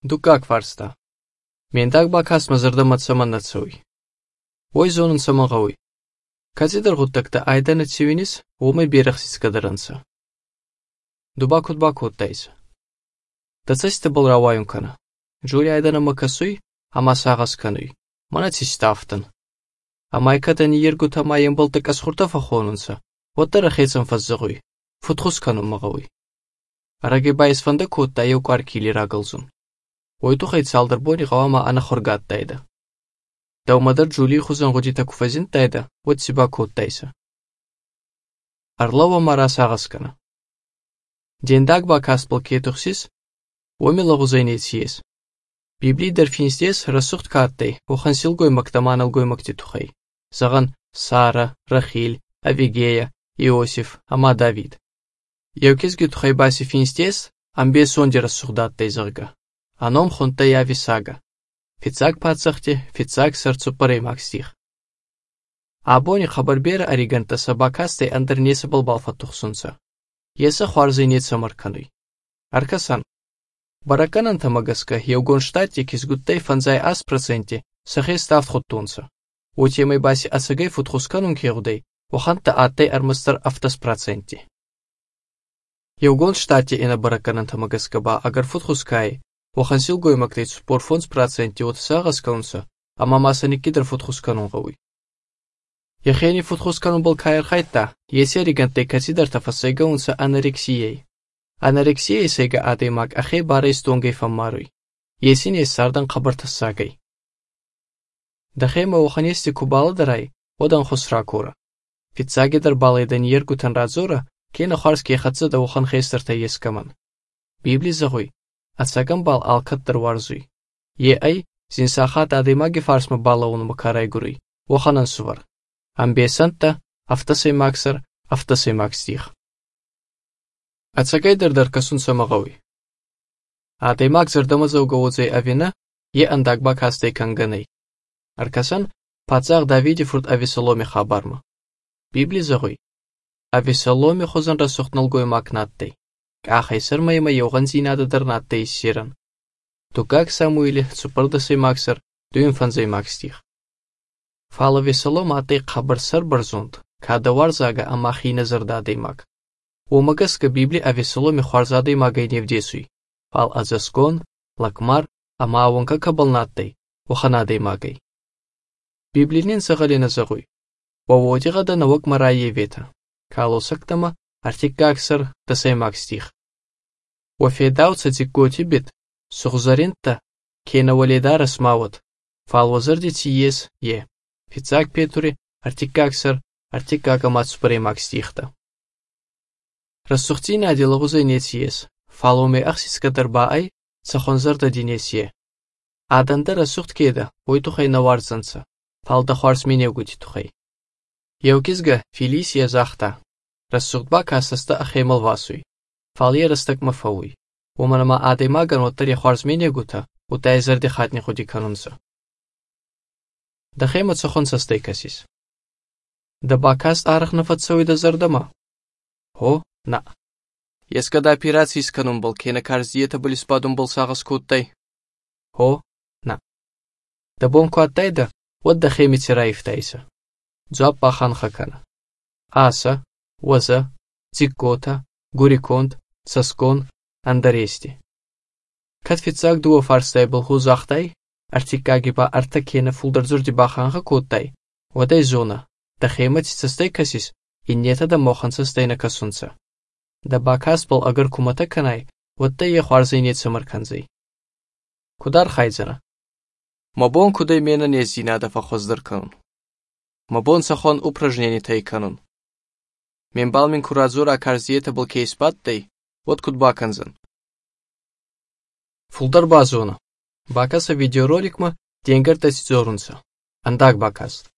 Դու կակ վարստա։ Մենտակ բակաս մզրդամատ սամանացույ։ Ոյ զոնն սամաղաույ։ Կացի դրղուտակտա այդանը ցիվինիս ոմե բերախսից կդրանցա։ Դու բակուտ տայս։ Դացես տբլ ռավայուն կանա։ Ջուրի այդանը մկասույ, համասաղաս կանույ։ Մանացի ստավտն։ Ամայկատանի երկու թամայեն բլտակաս խուրտավա խոնունցա։ Ոդտերը խեցն ֆազզղույ։ Ֆուտխուս կանում մղաույ։ Արագեբայս վանդը կոտտա եու կարկիլի ռագլզուն։ Ոյտու խեյց ալդրբոնի ғավամա անախորգատ տայդը։ Դավմադար ջուլի խուզան ղոջի տակուվազին տայդը, ոդ սիբա կոտտայսը։ Арлова մարաս աղաս կանա։ Դենդակ բակասպլ կետուխսիս, ոմի լաղուզայնից ես։ Բիբլի դրֆինստես հրասուղտ կատտեյ, ոխանսիլ գոյ մակտամանալ գոյ մակտիտուխայ։ Զաղան Սարա, Ռախիլ, Ավիգեя, Իոսիֆ, Ամա Դավիդ։ Եվքես գյուտուխայ բասի ֆինստես, ամբեսոն դերասուղդատ տեյզղգա։ Անոմ խոնտեյ ավիսագա։ Ֆիցակ պացախտի, ֆիցակ սրծու պրեյմակ ստիղ։ Աբոնի խաբարբերը արիգանտասա բակաստեյ անդրնեսը բլբալֆատուխսունցա։ Եսը խվարզինեցը մրկանույ։ Արկасан։ Բարական անդամագասկա եվգոն շտատ եկիս գուտտեյ ֆանզայ աս պրոցենտի, սխե ստավտ խոտունցա։ Ոչեմեյ բասի ասագայ ֆուտխուսկանուն կեղուդեյ, ոხանտա ատեյ արմստր ավտաս պրոցենտի։ Եվգոն շտատի ենա բարական անդամագասկա բա ագար ֆուտխուսկայ, ոխանսիլ գոյմակտեյ սպորֆոնց պրոցենտի օտսաղաս կաունցա, ամա մասանիկի դր ֆուտխուսկանուն գավույ։ Ехени футхусканун был каерхайта, если регантей катидер тафасега унса анорексией. Анорексией сега адемак ахей барей стонгей фамаруй. Если не сардан кабартасагай. Дахема уханести кубала дарай, одан хусракура. Фитсагедер балайдан ергутан разура, кена харский хатса да ухан хейстерта ескаман. Библи загуй, атсаган бал алкаттер варзуй. Ай, зинсахат адемаги фарсма балаун макарай гуруй, уханан сувар. Амбесанта, автосеймаксер, автосеймакстих. Ацагай дердаркасун самагауи. Адемаксер дамазаугауцей авина, андагбак хастей канганей. Аркасан, пацах Давиди фрут авесоломи хабарма. Библи загуй. Авесоломи хозан расухтнал гой макнаттей. Кахайсер майма йоган зинада дарнаттей сиран. Тукак Самуили, цупердасеймаксер, дуинфанзеймакстих. Фала весолом атей қабырсар барзунд, кадавар зага амахи назардадеймак. Омагаска Библи авесоломи хуарзадеймагай невдесуй. Фал азаскон, лакмар, амааванка кабалнаттей, уханадеймагай. Библинин загалина загуй. Ваводига навак мараевета. Калосактама артикаксар тасеймак стих. Вафедауца дикготибит, сухзаринта, кенавалида расмават. Фал вазардити ес е. Фицак Петури, артикаксар, артикакамат спреймак стихта. Рассухтина аделагузай нетиес, фаломе ахсискадарбаай, цахонзарда динесие. Аданда рассухт кеда, ойтухай наварзанца, фалда хуарсменевгути тухай. Евкизга Филисия захта, рассухтба касаста ахемал васуй, фалия растак мафауй. Уманама адемаган оттари хуарсменевгута, утайзарди хатни худи канунца. Дахема цохон састейкасис. Да бакаст арахнафатсауи да зардама. Хо, на. Ескада операции сканун был, кена карзиета были спадун был сагас куттай. Хо, на. Да бон куаттайда, вот дахеми тираифтайса. Дзуап бахан хакана. Аса, ваза, цикота, гуриконт, цаскон, андарести. Катфицак дуо фарстай был хузахтай, артикагиба артакена фулдарзурди баханха куттай. Водай зона. Да хемати састейкасис, и нета да мохан састейна касунца. Да бакас был агар кумата канай, вот да хуарзайнет самарканзай. Кудар хайзана. Мабон кудай мена не зинада фахоздар канун. Мабон сахон упражнений тай канун. Менбалмин куразура карзиета был кейспаттай, вот кудбаканзан. Фулдар базона. Бакаса видеороликма денгар тасизорунца. Андак бакаст.